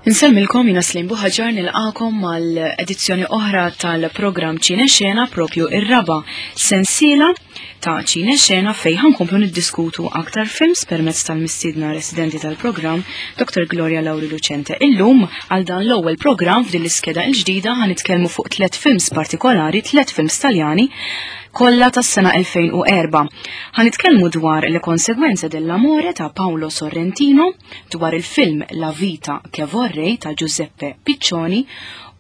Insellmilkom jiena Slim Buħaġar nilqakom mal-edizzjoni oħra tal-programm Ċine Xena propju ir-raba sensiela ta' Ċine Xena fej ħankomplu niddiskutu aktar films permezz tal-mistiedna residenti tal-programm Dr. Gloria Lauri Lucente. Illum għal dan l-ewwel programm f'din l-iskeda l-ġdida ħanitkellmu fuq tliet films partikolari, tliet films Taljani kollha tas-sena 2004. Ħanitkellmu dwar Le Conseguenze dell'Amore ta' Paolo Sorrentino, dwar il-film La Vita che vorrei ta' Giuseppe Piccioni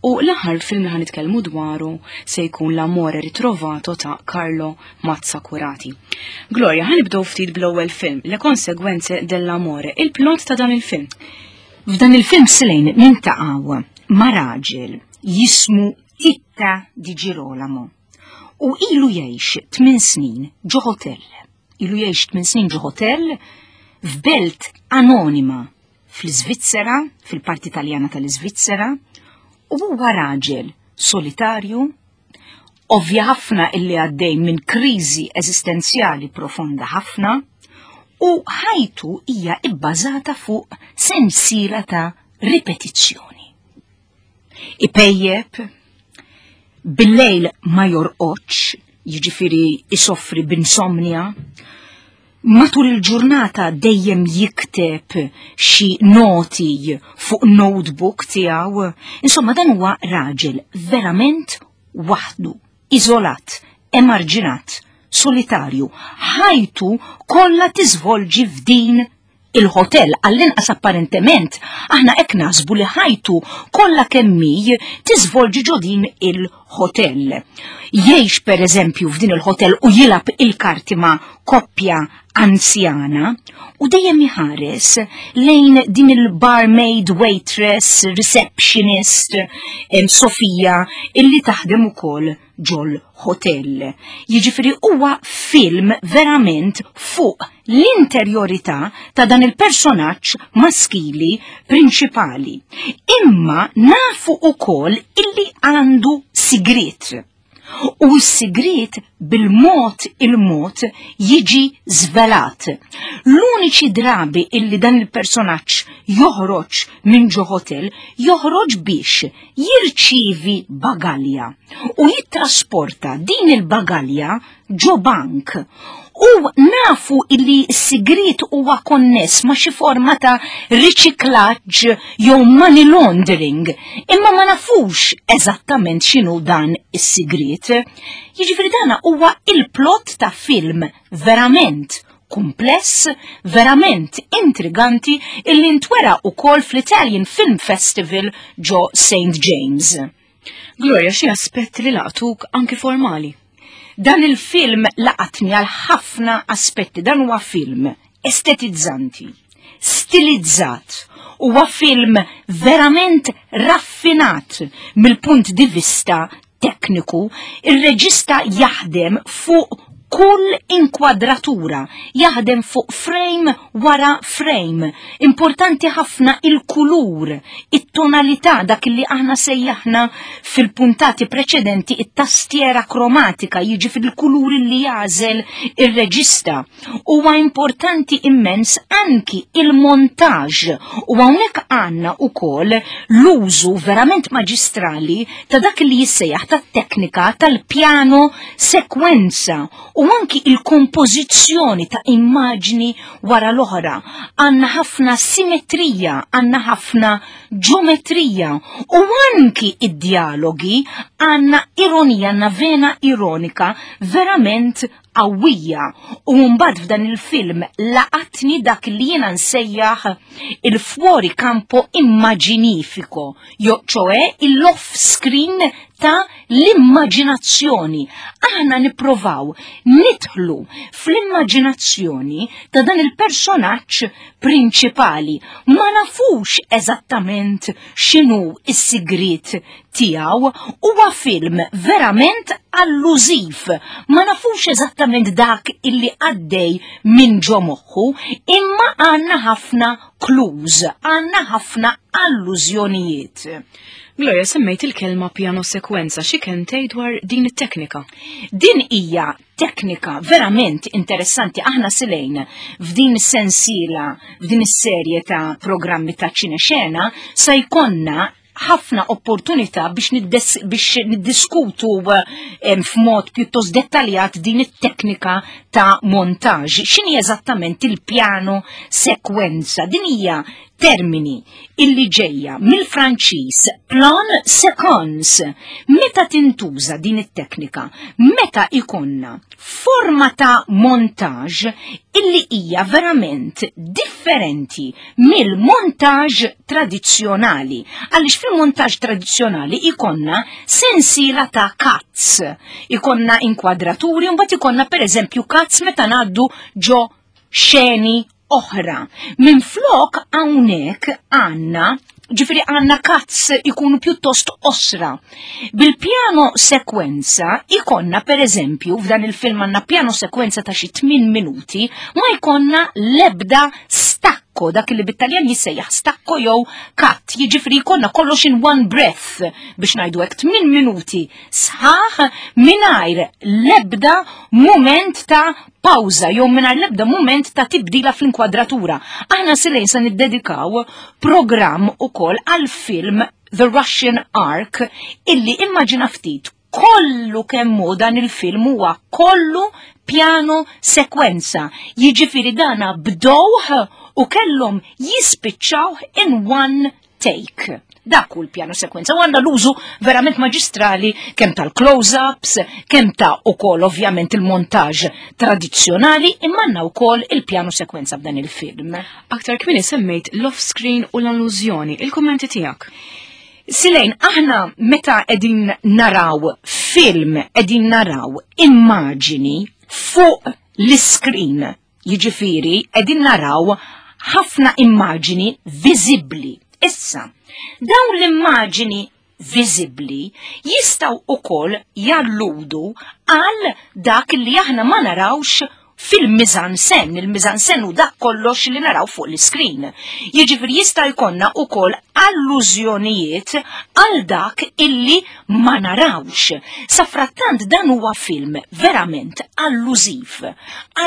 u l-aħħar film li ħanitkellmu dwaru se jkun L'Amore Ritrovato ta' Carlo Mazzacurati. Gloria, ħanibdew ftit bl-ewwel film, Le Conseguenze dell'Amore, il-plot ta' dan il-film. F'dan il-film Selene nintaqgħu ma' raġel jismu Titta di Girolamo u ilu jgħix 8 snin ġo hotel. Ilu jgħix 8 snin ġo hotel f'belt anonima fl-Iżvizzera, fil-parti Taljana tal-Iżvizzera, u huwa raġel solitarju, ovvja ħafna illi għaddej minn kriżi eżistenzjali profonda ħafna, u ħajtu hija ibbażata fuq sensiela ta' ripetizzjoni. Ipejjep, bil-lejl ma jorqodx, jiġifieri isoffri b'insomnia, matul il-ġurnata dejjem jikteb xi noti fuq notebook tiegħu. Insomma dan huwa raġel verament waħdu, iżolat, emarġinat, solitarju. Ħajtu kollha tiżvolġi f'din il-ħotel għall-inqas apparentement aħna hekk naħsbu li ħajtu kollha kemm hi tiżvolġi ġo din il-ħotel. Jgħix pereżempju f'din il-ħotel u jilgħab il-karti ma' koppja anzjana u dejjem iħares lejn din il-barmaid, waitress, receptionist, Sofija, illi taħdem ukoll ġol hotel. Jiġifieri huwa film verament fuq l-interjorità ta' dan il-personaġġ maskili prinċipali. Imma nafu ukoll illi għandu sigriet. U s-sigriet bil-mod il-mod jiġi żvelat. L-uniċi drabi illi dan il-personaġġ joħroġ minn ġo hotel, joħroġ biex jirċievi bagalja u jittrasporta din il-bagalja ġo bank. U nafu illi s-sigriet huwa konness ma' xi forma ta' riċiklaġġ jew money laundering, imma ma nafux eżattament x'inhu dan is-sigriet. Jiġifieri dana huwa il-plot ta' film verament kumpless, verament intriganti illi ntwera wkoll fl-Italian Film Festival ġo St. James. Gloria, xi aspetti li laqtuk anki formali? Dan il-film laqatni għal ħafna aspetti. Dan huwa film estetizzanti, stilizzat, huwa film verament raffinat mill-punt di vista tekniku, ir-reġista jaħdem fuq kull inkwadratura, jaħdem fuq frame wara frame. Importanti ħafna il-kulur, it-tonalità dak li aħna sejjaħna fil-puntati preċedenti it-tastiera kromatika, jiġi fil-kulur li jagħżel ir-reġista. Huwa importanti immens anki il-montaġ u hawnhekk għandna ukoll l-użu verament maġistrali ta' dak li jissejjaħ tat-teknika tal-pjano sekwenza u anki il-kompożizzjoni ta' immaġni wara l-oħra. Għandna ħafna simetrija, għandna ħafna ġometrija u anki id-dialogi għandna ironija, għandna vena ironika verament qawwija u mbagħad f'dan il-film laqatni dak li jiena nsejjaħ il-fuori campo immaginifico, jo ċoe l-off screen ta' l-immaġinazzjoni. Aħna nipprovaw nidħlu fl-immaġinazzjoni ta' dan il-personaġġ prinċipali. Ma nafux eżattament x'inhu s-sigriet. tiegħu huwa film verament allużiv. Ma nafux eżattament dak illi għaddej minn ġo moħħu, imma għandna ħafna clues, għandna ħafna allużjonijiet. Gloria, semmejt il-kelma piano sekwenza, xi kelmtej dwar din it-teknika? Din hija teknika verament interessanti. Aħna silejn f'din is-sensiela, f'din is-serje ta' programmi ta' ċinexena, se jkollna ħafna opportunità biex niddiskutu f'mod pjuttost dettaljat din it-teknika ta' montaġġ. X'inhi eżattament il-piano sekwenza? Din hija termini illi ġejja mill-Franċiż plan séquence. Meta tintuża din it-teknika? Meta ikonna forma ta' montaġġ illi hija verament differenti mill-montaġġ tradizzjonali. Għaliex fil-montaġġ tradizzjonali ikonna sensiela ta' cuts, ikonna inkwadraturi, mbagħad ikonna pereżempju cuts meta ngħaddu ġo xeni oħra. Minflok hawnhekk għandna ġifieri għandna cuts ikunu pjuttost osra. Bil-piano sekwenza ikonna per eżempju f'dan il-film għandna piano sekwenza ta' xi 8 minuti ma jkollna lebda stacco, dak li bit-Taljan jissejjaħ stacco jew cut, jiġifieri jkollna kollox in one breath biex ngħidu hekk 8 minuti sħaħ mingħajr lebda mument ta' pawża jew mingħajr l-ebda mument ta' tibdila fl-inkwadratura. Aħna silejn se niddedikaw programm ukoll għal film The Russian Ark illi immaġina ftit kollu kemmu dan il-film huwa kollu piano sekwenza. Jiġifieri dana bdowh u kellhom jispiċċaw in one take. Dak hu l-piano sekwenza. U għandha l-użu verament maġistrali kemm tal-close-ups, kemm ta' ukoll ovvjament il-montaġġ tradizzjonali, imma għandna wkoll il-piano sekwenza f'dan il-film. Aktar kmieni semmejt l-off-screen u l-allużjoni, il-kummenti tiegħek. Silejn, aħna meta qegħdin naraw film, qegħdin naraw immaġini fuq l-screen, jiġifieri qegħdin naraw ħafna immaġini viżibbli. Issa, dawn l-immaġini viżibbli jistgħu ukoll jalludu għal dak li aħna ma narawx fil-mise-en-scène. Il-mise-en-scène u dak kollox li naraw fuq l-iskrin. Jiġifieri jista' jkollna ukoll allużjonijiet għal dak illi ma narawx. Safrattant dan huwa film verament allużiv,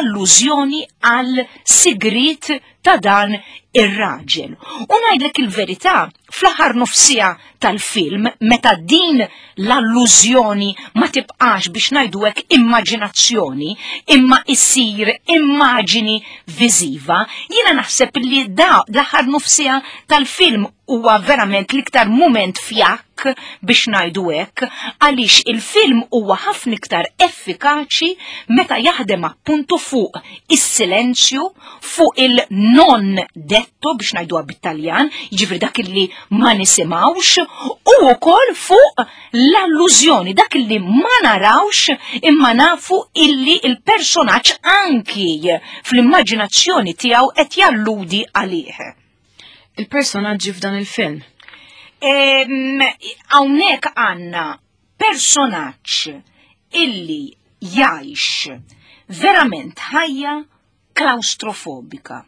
allużjoni għal sigrit ta' dan ir-raġel. U ngħidlek il-verità, fl-aħħar nofsija tal-film, meta din l-allużjoni ma tibqax biex ngħidu hekk immaġinazzjoni, imma issir immaġini viżiva, jiena naħseb li da l-aħħar nofsija tal-film huwa verament l-iktar mument fjakk biex ngħidu hekk, għaliex il-film huwa ħafna iktar effikaċi meta jaħdem appuntu fuq is-silenzju, fuq il-non detto biex ngħiduha bit-Taljan, jiġifieri dak li ma nisimgħux, u wkoll fuq l-allużjoni, dak li ma narawx imma nafu illi il-personaġġ anki fl-immaġinazzjoni tiegħu qed jalludi għalih. Il-personaġġi f'dan il-film. Hawnhekk għandna personaġġ illi jgħix verament ħajja klaustrofobika.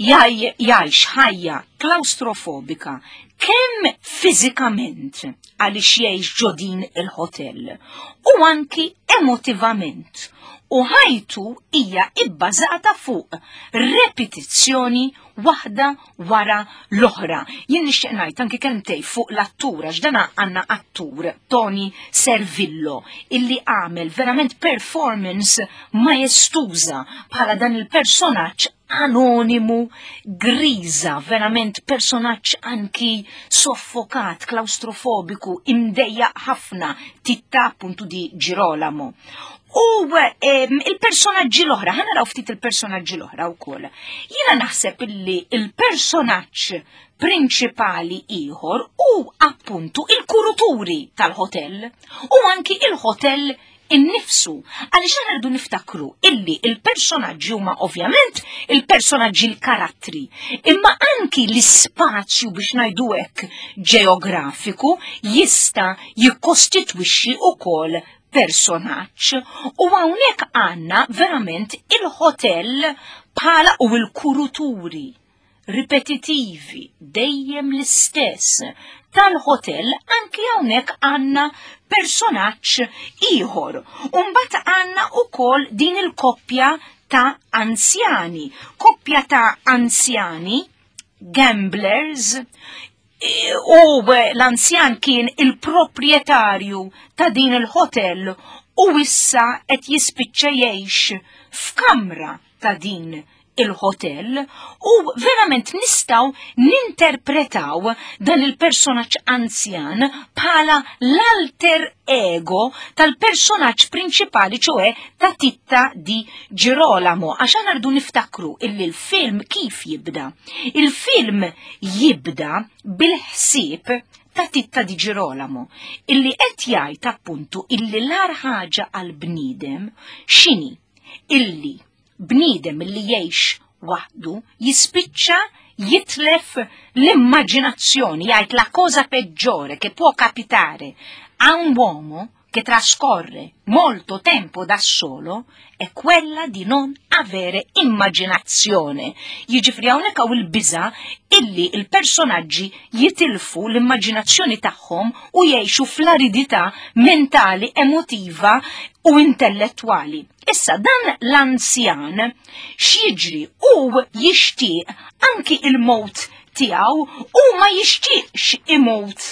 Jgħix ħajja klaustrofobika kemm fiżikament għaliex jgħix ġo din il-hotel u anki emotivament. U ħajtu hija ibbażata fuq repetizzjoni waħda wara l-oħra. Jien nixtieq ngħid anki kelmtej fuq l-attur, għax dan għandna attur Tony Servillo illi għamel verament performance majestuża bħala dan il-personaġġ anonimu, griża, verament personaġġ anki soffokat, klaustrofobiku, imdejjaq ħafna, Titta appuntu di Girolamo. U il-personaġġi l-oħra, ħa naraw ftit il-personaġġi l-oħra wkoll. Jiena naħseb illi il-personaġġ prinċipali ieħor u appuntu il-kuruturi tal-hotel u anki il-hotel innifsu. Għaliex aħna rridu niftakru illi il-personaġġi huma ovvjament il-personaġġi l-karattri, imma anki l-ispazju biex ngħidu hekk ġeografiku jista' jikkostitwixxi ukoll personaġġ. U hawnhekk għandna verament il-hotel bħala u l-kuruturi ripetitivi dejjem l-istess tal-hotel anki hawnhekk għandna personaġġ ieħor. U mbagħad għandna ukoll din il-koppja ta' anzjani, koppja ta' anzjani gamblers u l-anzjan kien il-proprjetarju ta' din il-hotel u issa qed jispiċċa jgħix f'kamra ta' din il-hotel u verament nistgħu ninterpretaw dan il-personaġġ anzjan bħala l-alter ego tal-personaġġ prinċipali ċoe ta' Titta di Girolamo għax aħna rridu niftakru illi l-film kif jibda. Il-film jibda bil-ħsieb ta' Titta di Girolamo illi qed jgħid appuntu illi l-agħar ħaġa għall-bniedem x'inhi illi bniedem li jgħix waħdu jispiċċa jitlef l-immaġinazzjoni, jgħid la cosa peggiore che può capitare a un uomo che trascorre molto tempo da solo è quella di non avere immaginazione. Jiġifieri hawnhekk hawn il-biża' illi il-personaġġi jitilfu l-immaġinazzjoni tagħhom u jgħixu fl-aridità mentali, emotiva u intellettwali. Issa dan l-anzjan x'jiġri u jixtieq anki il-mowt tiegħu u ma jixtieqx imut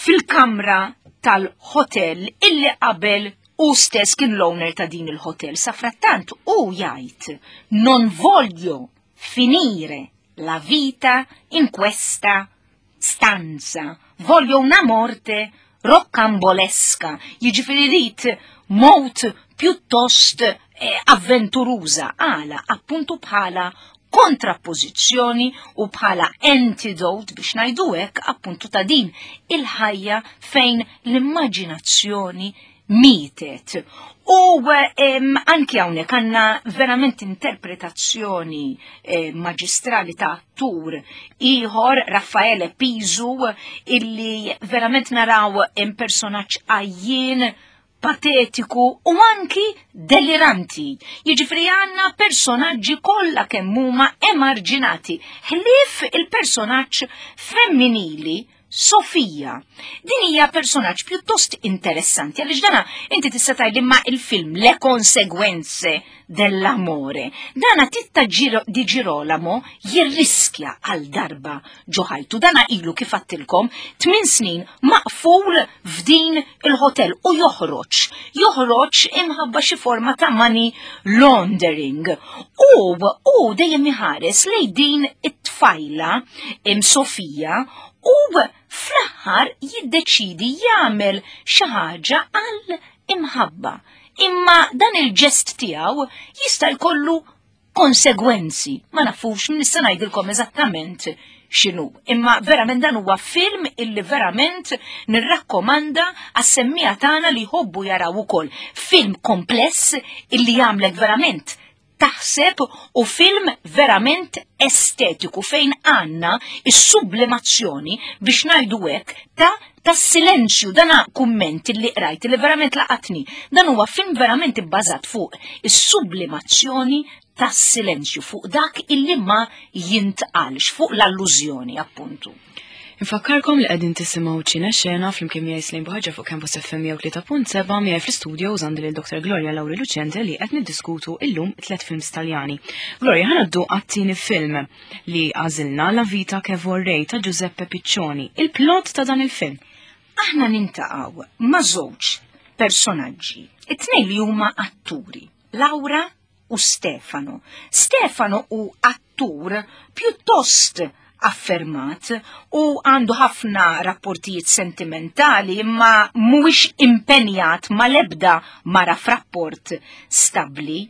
fil-kamra tal-hotel illi qabel u stess kien l-owner ta' din il-hotel. Sa frattant u jgħid non voglio finire la vita in questa stanza, voglio una morte rocambolesca, jiġifieri rrid mowt pjuttost eh, avventuruża, għala appuntu bħala kontrappożizzjoni u bħala antidote biex ngħidu hekk appuntu ta' din il-ħajja fejn l-immaġinazzjoni mietet. U anki hawnhekk għandna verament interpretazzjoni eh, maġistrali ta' attur ieħor Raffaele Pisu illi verament naraw personaġġ għajjien patetiku u anki deliranti. Jiġifieri għandna personaġġi kollha kemm huma emarġinati, ħlief il-personaġġ femminili Sofija. Din hija personaġġ pjuttost interessanti għaliex dana inti tista' tgħidli ma il-film Le Conseguenze dell'amore. Dana Titta di Girolamo jirriskja għal darba ġo ħajtu. Dana ilu kif għattilkom tmien snin maqful f'din il-hotel u joħroġ. Joħroġ imħabba xi forma ta' money laundering. U u dejjem iħares lejn din it-tfajla im Sofija u fl-aħħar jiddeċidi jagħmel xi ħaġa għal imħabba. Imma dan il-ġest tiegħu jista' jkollu konsegwenzi. Ma nafux nista' ngħidilkom eżattament x'inhu. Imma verament dan huwa film illi verament nirrakkomanda għas-semmija tagħna li jħobbu jaraw ukoll. Film kompless illi jagħmlek verament taħseb u film verament estetiku fejn għandna is-sublimazzjoni biex ngħidu hekk ta' tas-silenzju. Dana kumment li qrajt li verament laqatni. Dan huwa film verament ibbażat fuq is-sublimazzjoni tas-silenzju, fuq dak illi ma jintqalx, fuq l-allużjoni appuntu. Infakkarkom li qegħdin tisimgħu Ċine Xena flimkien miegħi Slejn Buħaġa fuq Campus FM 103.7 miegħi fl-istudio għandi lil Dr. Gloria Lauri Lucente li qed niddiskutu illum tliet films Taljani. Gloria, ħa ngħaddu għat-tieni film li għażilna La Vita che vorrei ta' Giuseppe Piccioni. Il-plot ta' dan il-film. Aħna nintaqgħu ma' żewġ personaġġi, it-tnejn li huma atturi, Laura u Stefano. Stefano hu attur pjuttost affermat u għandu ħafna rapportijiet sentimentali imma mhuwiex impenjat mal-ebda mara f'rapport stabbli.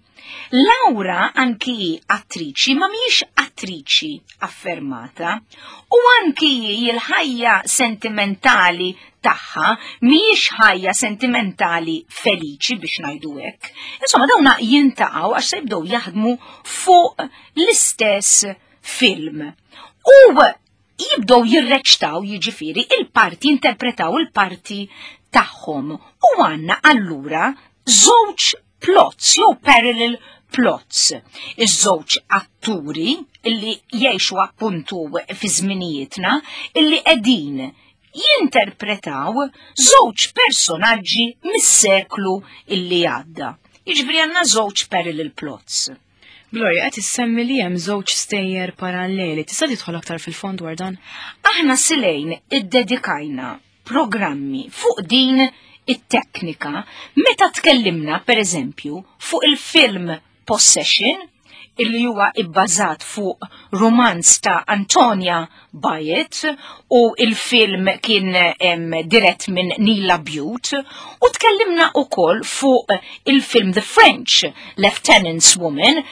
Laura anki hi attriċi ma mhijiex attriċi affermata u anki hi l-ħajja sentimentali tagħha mhijiex ħajja sentimentali feliċi biex ngħidu hekk. Insomma dawna jintaqgħu għax se jibdew jaħdmu fuq l-istess film. U jibdew jirreċtaw jiġifieri il-parti, jinterpretaw il-parti tagħhom. U għandna allura żewġ plots jew parallel plots. Iż-żewġ atturi illi jgħixu appuntu fi żminijietna illi qegħdin jinterpretaw żewġ personaġġi mis-seklu illi għadda. Jiġifieri għandna żewġ parallel plots. Gloria, qed issemmi li hemm żewġ stejjer paralleli. Tista' tidħol aktar fil-fond dwar dan? Aħna silejn iddedikajna programmi fuq din it-teknika meta tkellimna per eżempju fuq il-film Possession illi huwa ibbażat fuq romanz ta' Antonia Byatt u il-film kien dirett minn Neil Labute u tkellimna ukoll fuq il-film The French Lieutenant's Woman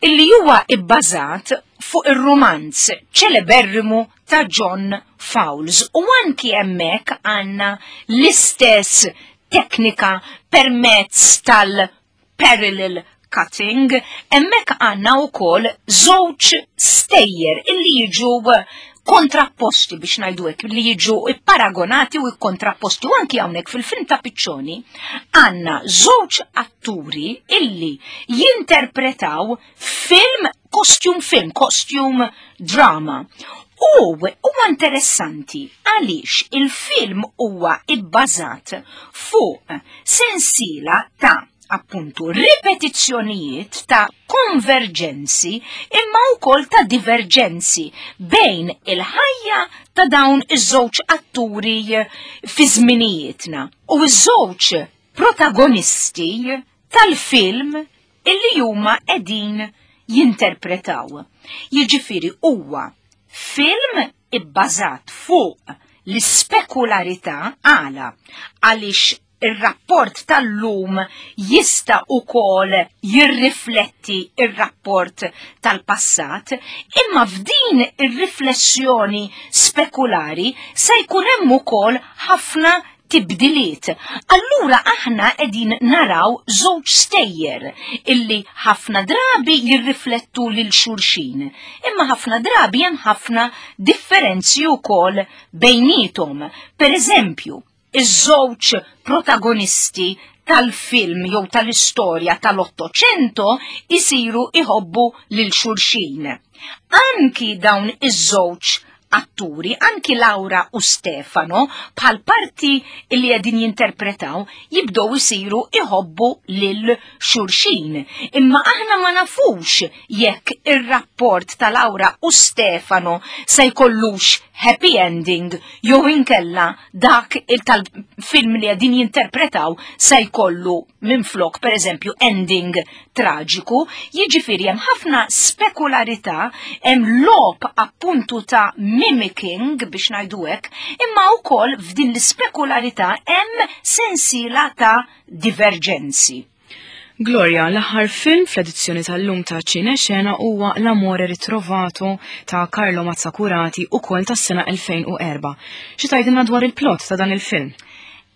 illi huwa ibbażat fuq ir-rumanz ċeleberrimu ta' John Fowles u anki hemmhekk għandna l-istess teknika permezz tal-parallel cutting, hemmhekk għandna wkoll żewġ stejjer illi jiġu kontrapposti biex ngħidu hekk li jiġu ipparagonati u kontrapposti u anki hawnhekk fil-film ta' Piccioni għandna żewġ atturi illi jinterpretaw film costume film, costume drama. U huwa interessanti għaliex il-film huwa ibbażat fuq sensiela ta' appuntu ripetizzjonijiet ta' konverġenzi imma wkoll ta' diverġenzi bejn il-ħajja ta' dawn iż-żewġ atturi fi żminijietna u ż-żewġ protagonisti tal-film illi huma qegħdin jinterpretaw. Jiġifieri huwa film ibbażat fuq l-ispekularità għala għaliex ir-rapport tal-lum jista' ukoll jirrifletti ir-rapport tal-passat, imma f'din ir-riflessjoni spekulari se jkun hemm ukoll ħafna tibdiliet. Allura aħna qegħdin naraw żewġ stejjer illi ħafna drabi jirriflettu lil xulxin, imma ħafna drabi hemm ħafna differenzi wkoll bejniethom. Per eżempju, iż-żewġ protagonisti tal-film jew tal-istorja tal-Ottocento isiru iħobbu lil xulxin. Anki dawn iż-żewġ atturi, anki Laura u Stefano, bħal parti li qegħdin jinterpretaw, jibdew isiru iħobbu lil xulxin. Imma aħna ma nafux jekk ir-rapport ta' Laura u Stefano se jkollux happy ending jew inkella dak il-tal-film li qegħdin jinterpretaw se jkollu minflok pereżempju ending traġiku, jiġifieri hemm ħafna spekularità, hemm logħob appuntu ta' mimicking biex ngħidu hekk, imma wkoll f'din l-ispekularità hemm sensiela ta' diverġenzi. Gloria, l-aħħar film fl-edizzjoni tal-lum ta' Ċine Xena huwa L'Amore Ritrovato ta' Carlo Mazzacurati ukoll tas-sena 2004. Xi tgħidilna dwar il-plot ta' dan il-film?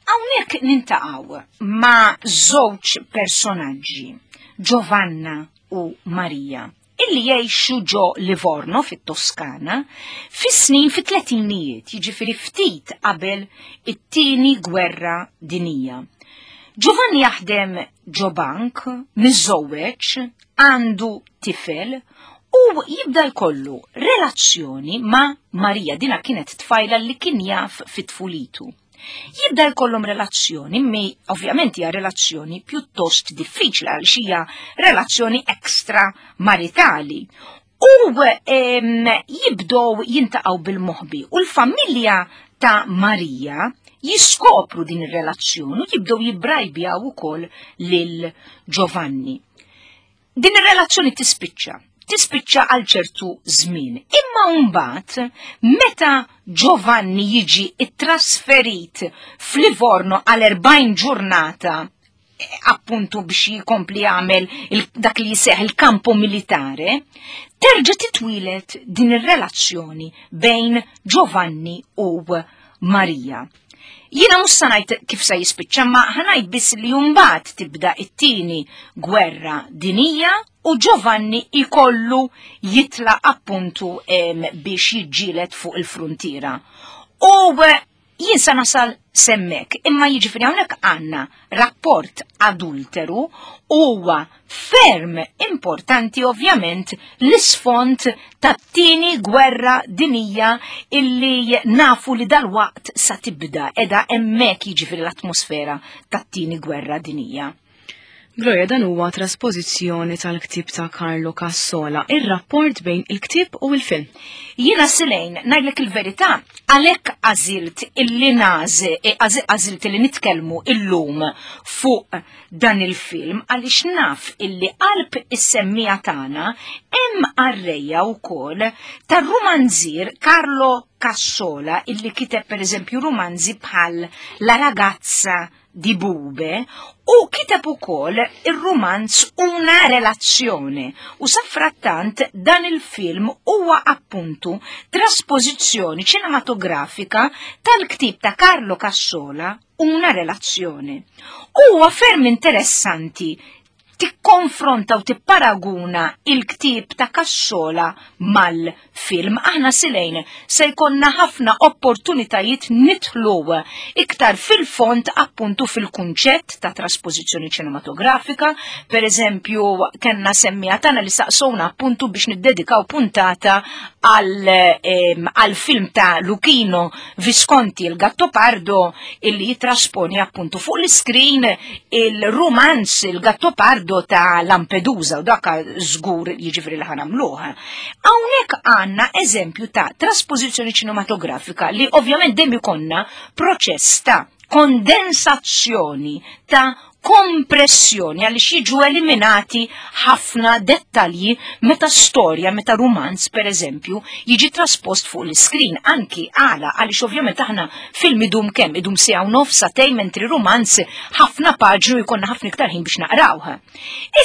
Hawnhekk nintaqgħu ma' żewġ personaġġi, Giovanna u Maria, illi jgħixu ġo Livorno fit-Toskana fis-snin fit-tletinijiet, jiġifieri ftit qabel it-tieni gwerra dinija. Giovanni jaħdem ġo bank, miżżewweġ, għandu tifel u jibda jkollu relazzjoni ma' Maria, dina kienet tfajla li kien jaf fit-tfulitu. Jibda jkollhom relazzjoni, mi ovvjament hija relazzjoni pjuttost diffiċli għal hija relazzjoni ekstra maritali. U jibdow jintaqgħu bil-moħbi u l-familja ta' Marija jiskopru din ir-relazzjoni u jibdew jibbrajbjaw ukoll lil Giovanni. Din ir-relazzjoni tispiċċa. tispiċċa għal ċertu żmien. Imma mbagħad meta Giovanni jiġi ittrasferit f'Livorno għal 40 ġurnata appuntu biex jikompli jagħmel dak li jseħ il-kampo militare, terġa' titwilet din ir-relazzjoni bejn Giovanni u Marija. Jiena mhux sa ngħid kif se jispiċċa, ma ħanajt biss li mbagħad tibda it-tieni gwerra dinija u Giovanni ikollu jitla appuntu biex jiġġieled fuq il-fruntiera. U jien sa nasal semmek, imma jiġifieri hawnhekk għandna rapport adulteru huwa ferm importanti ovvjament l-isfond tat-tieni gwerra dinija illi nafu li dalwaqt sa tibda edha hemmhekk jiġifieri l-atmosfera tat-tieni gwerra dinija. Gloria, dan huwa traspożizzjoni tal-ktieb ta' Carlo Cassola, ir-rapport bejn il-ktieb u l-film. Jiena Silejn, ngħidlek il-verità, għalhekk għażilt illi naż, e, għażilt illi nitkellmu illum fuq dan il-film għaliex naf illi qalb is-semmija tagħna hemm qarrejja wkoll tar-rumanzier Carlo Cassola illi kiteb pereżempju rumanzi bħal La ragazza di Bube u kiteb ukoll ir-rumanz Una relazione u safrattant dan il-film huwa appuntu traspożizzjoni ċinematografika tal-ktieb ta' Carlo Cassola Una relazione. Huwa ferm interessanti tikkonfronta u tipparaguna il-ktieb ta' Cassola mal-film. Aħna Silejn se jkollna ħafna opportunitajiet nidħlu iktar fil-fond appuntu fil-kunċett ta' traspożizzjoni ċinematografika. Per eżempju, kellna semmija tagħna li saqsowna appuntu biex niddedikaw puntata għal film ta' Luchino Visconti, il Gattopardo, illi jitrasponi appuntu fuq l-iskrin il-rumanz il Gattopardo ta' Lampedusa u dak żgur jiġifieri li ħanamluh. Hawnhekk għandna eżempju ta' trasposizzjoni ċinematografika li ovvjament dejjem ikonna proċess ta' kondensazzjoni ta' kompressjoni għaliex jiġu eliminati ħafna dettalji meta storja, meta rumanz per eżempju, jiġi traspost fuq l-iskrin anki għala għaliex ovvjament aħna film idum kemm idum siegħa u nofs sagħtejn mentri rumanz ħafna paġnu jkollna ħafna iktar ħin biex naqrawh.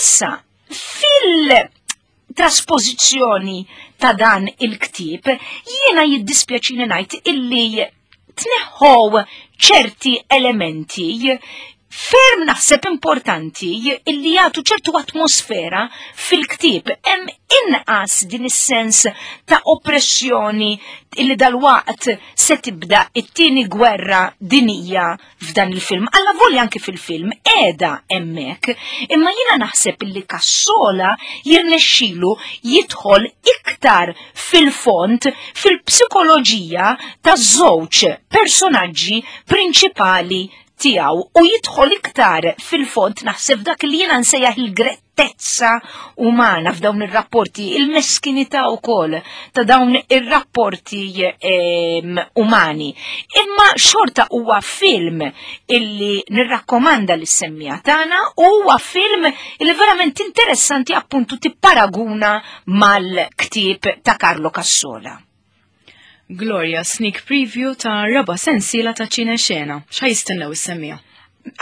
Issa, fil traspożizzjoni ta' dan il-ktieb, jiena jiddispjaċini ngħid illi tneħħow ċerti elementi ferm naħseb importanti illi jagħtu ċertu atmosfera fil-ktieb. Hemm inqas din is-sens ta' oppressjoni illi dalwaqt se tibda it-tieni gwerra dinija f'dan il-film. Alla volja anki fil-film qiegħda hemmhekk, imma jiena naħseb illi Cassola jirnexxilu jidħol iktar fil-fond fil-psikoloġija taż-żewġ personaġġi prinċipali tiegħu u jidħol iktar fil-fond naħseb dak li jiena nsejjaħ il-grettezza umana f'dawn ir-rapporti, il-meskinità wkoll ta' dawn ir-rapporti ehm, umani. Imma xorta huwa film illi nirrakkomanda lis semmija tagħna u huwa film illi verament interessanti appuntu tipparaguna mal-ktieb ta' Carlo Cassola. Gloria, sneak preview ta' raba sensiela ta' ċine xena. Xa jistennew is-semmija?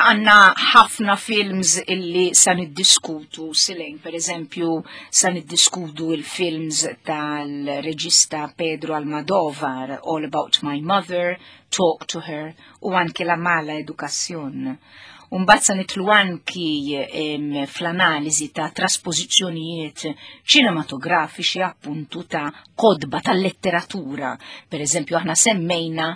Għanna ħafna films illi sa niddiskutu silejn, per eżempju, sa niddiskutu il-films tal-reġista Pedro Almodovar, All About My Mother, Talk to Her, u anki La Mala Educación. U mbagħad sa nitlu anki fl-analiżi ta' traspożizzjonijiet ċinematografiċi appuntu ta' kodba tal-letteratura. Per eżempju, aħna semmejna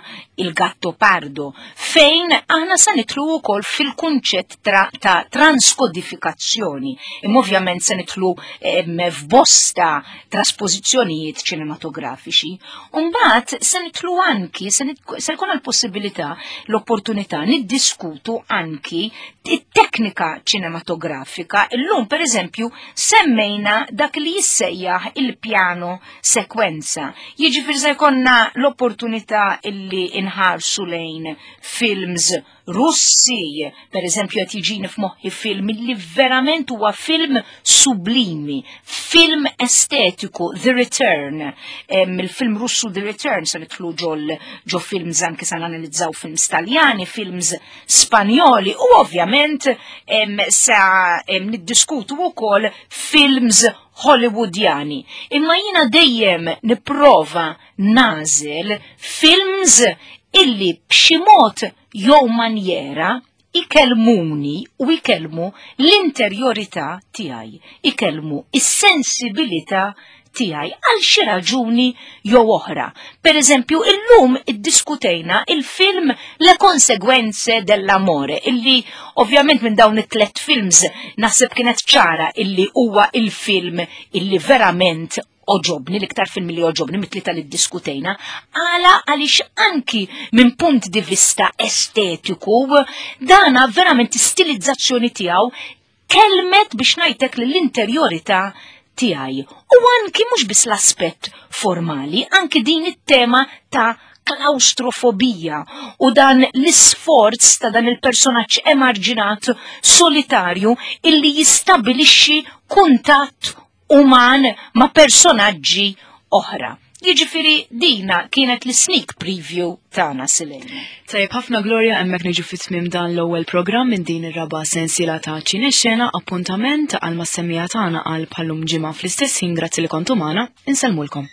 il-Gatto Pardo, fejn aħna sa nitlu wkoll fil-kunċett ta' transkodifikazzjoni. Imma ovvjament se nitlu f'bosta traspożizzjonijiet ċinematografiċi. U mbagħad se nitlu anki, se jkollna jkollna l-possibilità, l-opportunità niddiskutu anki it-teknika ċinematografika. Illum pereżempju semmejna dak li jissejjaħ il-pjano sekwenza. Jiġifieri se jkollna l-opportunità illi inħarsu lejn films Russi, per eżempju qed jiġini f'moħħi film li verament huwa film sublimi, film estetiku, The Return. Il-film Russu The Return se nidħlu ġol ġo films anke se nanalizzaw films Taljani, films Spanjoli u ovvjament sa niddiskutu wkoll films Hollywoodjani. Imma jiena dejjem nipprova nagħżel films illi b'xi mod jew manjera ikellmuni u ikellmu l-interjorità tiegħi, ikellmu is-sensibilità tiegħi għal xi raġuni jew oħra. Per eżempju, illum iddiskutejna il-film Le Conseguenze dell'Amore, illi ovvjament minn dawn it-tlet films naħseb kienet ċara illi huwa il-film illi verament oġobni, l-iktar film li oġobni mit-tlieta li ddiskutejna, għala għaliex anki minn punt di vista estetiku, dana verament stilizzazzjoni tiegħu kelmet biex ngħidlek l-interjorità tiegħi. U anki mhux biss l-aspett formali, anki din it-tema ta' klaustrofobija u dan l-isforz ta' dan il-personaġġ emarġinat solitarju illi jistabilixxi kuntatt uman ma' personaġġi oħra. Jiġifieri dina kienet l-sneak preview tagħna Silena. Tajjeb ħafna Gloria hemmhekk niġu fi tmiem dan l-ewwel programm minn din ir-raba' sensiela ta' Ċine Xena appuntament għal mas-semmiegħa tagħna għal bħallum ġimgħa fl-istess ħin grazzi li kontu magħna, insellmulkom.